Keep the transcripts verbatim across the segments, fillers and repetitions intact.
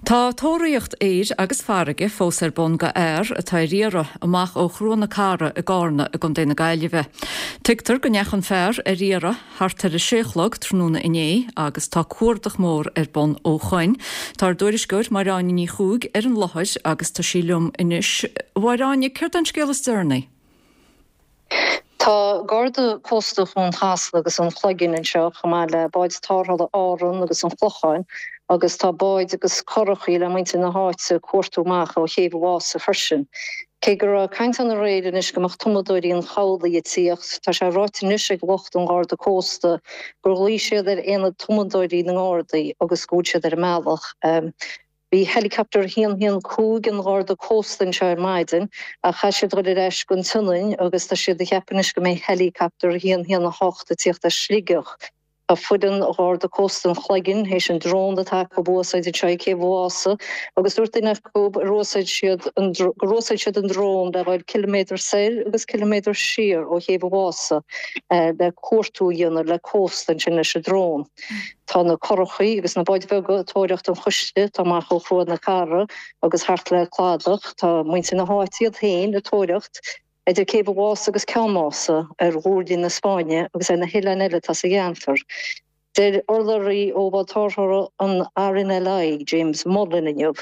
Tá tóraíocht aeir agus farraige fós ar bun go fhear atá ar iarraidh amach ó Chrua na Cara i gCarna i gContae na Gaillimhe. Tuigtear go ndeachaigh an fear ar iarraidh thart ar a sé a chlog tráthnóna inné agus tá cuardach mór ar bun ó shoin. Tá ár dtuairisceoir Máire Áine Ní Chuaig ar an láthair agus tá sí liom anois. Máire Áine, céard an scéal is deireanaí? Tá Garda Cósta Chuan Chasla agus an Chloiginn anseo chomh maith le báid tarrthála Árann agus an Chlocháin agus tá báid agus curachaí le muintir na háite ag cuartú amach ó Chéibh an Mhása freisin. Cé go raibh caint ann aréir anois go mbeadh tumadóirí an chabhlaigh ag tíocht, tá sé ráite anois ag lucht an Gharda Cósta gur ghlaoigh siad ar aonad tumadóirí na nGardaí agus go bhfuil siad ar a mbealach. Bhí helicopter a haon haon cúig an Gharda Cósta anseo ar maidin ach chaith siad dul ar ais go an tSionainn agus tá siad ag ceapadh anois go mbeidh helicopter a haon haon a hocht ag tíocht as Sligeach. Tá foireann Gharda Cósta an Chloiginn théis an drón atá acu a úsáid anseo ag Céibh an Mhása agus dúirt duine acu gur úsáid siad an gur úsáid siad an drón le dhul ciliméadar soir agus ciliméadar siar ó Chéibh an Mhása le cuartú a dhéanamh le cósta ansin leis an drón. Tá na curachaí agus na báid bheaga ag tóraíocht an chuisle atá amach ó Chrua na Cara agus thart le cladach. Tá muintir na háite iad féin ag tóraíocht idir Céibh an Mhása agus Ceann Mása ar ghuairlí na Spáinne agus ar na hoileáin eile atá sa gceantar. Deir urlabhraí ó bhád tarrthála an RNLI, James Mullen inniu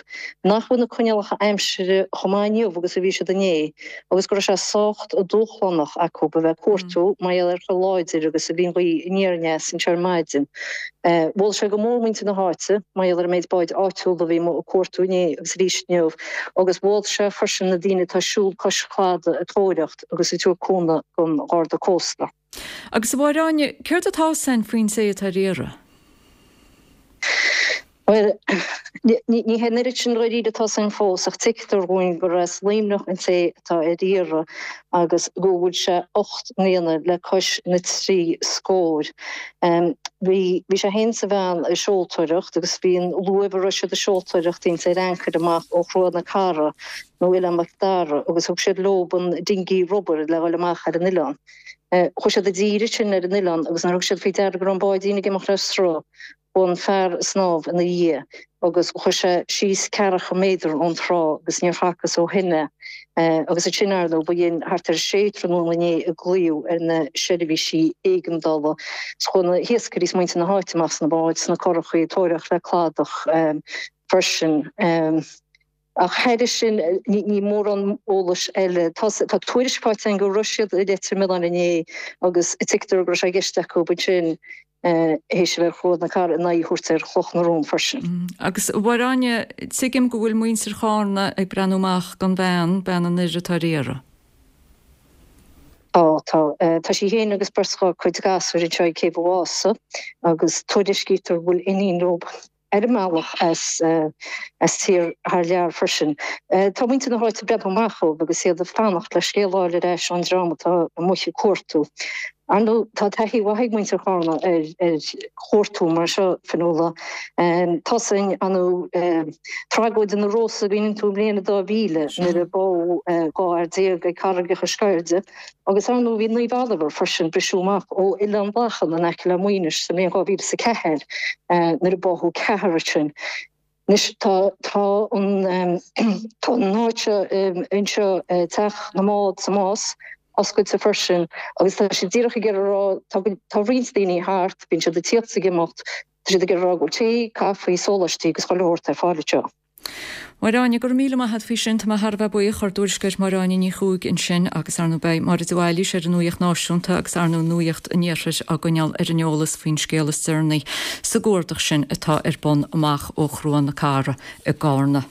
nach bhfuil na coinníollacha aimsire chomh maith inniu agus a bhí siad inné agus go raibh sé sách dúshlánach acu a bheith ag cuartú mar gheall ar chomh láidir agus a bhí an ghaoth aniar aneas anseo ar maidin. Mhol sé go mór muintir na háite mar gheall ar an méid báid áitiúla a bhí amuigh ag cuartú inné agus arís inniu agus mhol sé freisin na daoine atá ag siúl cois cladaigh ag tóraíocht agus ag tabhairt cúnamh don Gharda Cósta. Agus a Mháire Áine, céard atá a fhios againn faoin té atá ar iarraidh? Bhuel, ní hé an oiread sin dáiríre atá a fhios againn fós, ach tuigtear dhúinn gur as Luimneach an té atá ar iarraidh agus go bhfuil sé ocht mbliana le cois na trí scór. Bhí bhí sé féin is a bhean ag seoltóireacht agus bhí an luamh a raibh siad ag seoltóireacht ins ar ancaire amach ó Chrua na Cara nó Oileán Mhic Dara agus thug siad leo an dingí rubair le dhul amach ar an oileán. Chuaigh siad i dtír ansin ar an oileán agus nuair a thug siad faoi deara go raibh an báidín ag imeacht le sruth, chuaigh an fear ag snámh ina dhiaidh agus chuaigh sé síos ceathracha méadar ón trá agus níor facthas ó shin é. Agus ansin, ar ndóigh, ba shin thart ar a sé tráthnóna inné a glaodh ar na seirbhísí éigeandála. Chuaigh na hiascairí is muintir na háite amach sna báid, sna curachaí, ag tóraíocht le cladach freisin. Ach thairis sin, ní mórán eolais eile. Tá tuairisc faighte againn go raibh siad i Leitir Mealláin inné agus tuigtear go raibh sé i gceist acu ansin théis a bheith ar Chrua na Cara a n-aghaidh a thabhairt ar Chloch na Rón freisin. Agus a Mháire Áine, tuigim go bhfuil muintir Chárna ag breathnú amach don bhean, bean an fhir atá ar iarraidh. Tá, tá. Tá sí féin agus beirt dá cuid gasúir anseo ag Céibh an Mhása agus tuairiscítear go bhfuil iníon leo. ar a mbealach as as tír thar lear freisin. Tá muintir na háite ag breathnú amach dóibh agus iad ag fanacht le scéal a fháil ar ais ón dream atá amuigh ag cuartú. Ar ndóigh, tá taithí mhaith ag muintir Chárna ar ar chuartú mar seo, Fionnuala. Tá a fhios againn ar ndóigh tragóid na Rosa an gcuimhníonn tú i mbliain a dá mhíle nuair a bádh dhá fhear déag ag Carraigeacha Sceirde. Agus ar ndóigh bhí Naomh Oliver freisin, briseadh amach ó Oileán Lachan in aice le Muighnis sa mbliain dhá mhíle is a ceathair nuair a báthadh ceathrar ansin. Anois tá tá an tá an áit seo anseo Teach na mBád sa Más oscailte freisin agus tá siad díreach ag iarraidh a rá tá tá roinnt daoine thart, bíonn siad ag tíocht is ag imeacht, tá siad ag iarraidh a rá go bhfuil tae, caife, sóláistí agus chuile shórt ar fáil anseo. Máire Áine, go raibh míle maith a't faoi sin, tá mé thar a bheith buíoch, ár dtuairisceoir Máire Áine Ní Chuaig ansin agus ar ndóigh beidh Máire de Bhailís ar an Nuacht Náisiúnta agus ar ndóigh Nuacht an Iarthair á gcoinneáil ar an eolas faoin scéal is deireanaí sa gcuardach sin atá ar bun amach ó Chrua na Cara i gCárna.